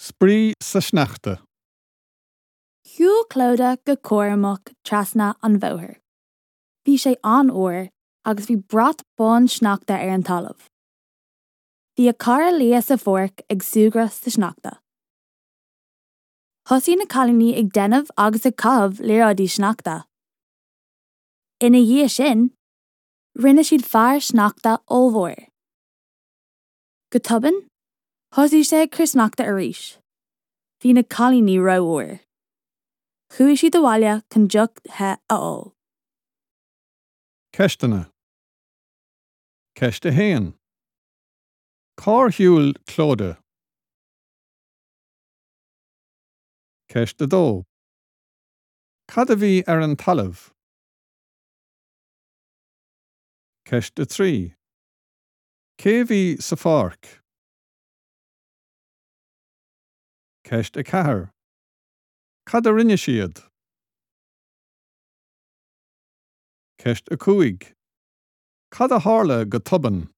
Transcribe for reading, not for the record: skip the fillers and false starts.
Spraoi sa sneachta. Shiúil Clodagh go cúramach trasna an bhóthair. Bhí sé an-fhuar agus bhí brat bán sneachta ar an talamh. Bhí a cara Liadh sa pháirc ag súgradh sa sneachta. Thosaigh na cailíní ag déanamh agus ag caitheamh liathróidí sneachta. Ina dhiaidh sin, rinne siad fear sneachta ollmhór. Go tobann, thosaigh sé ag cur sneachta arís. Bhí na cailíní rófhuar. Chuaigh siad abhaile chun deoch the a ól. Ceisteanna. Ceist 1. Cár shiúil Clodagh? Ceist 2. Cad a bhí ar an talamh? Ceist 3. Cé a bhí sa pháirc? Ceist 4. Cad a rinne siad? Ceist 5. Cad a tharla go tobann?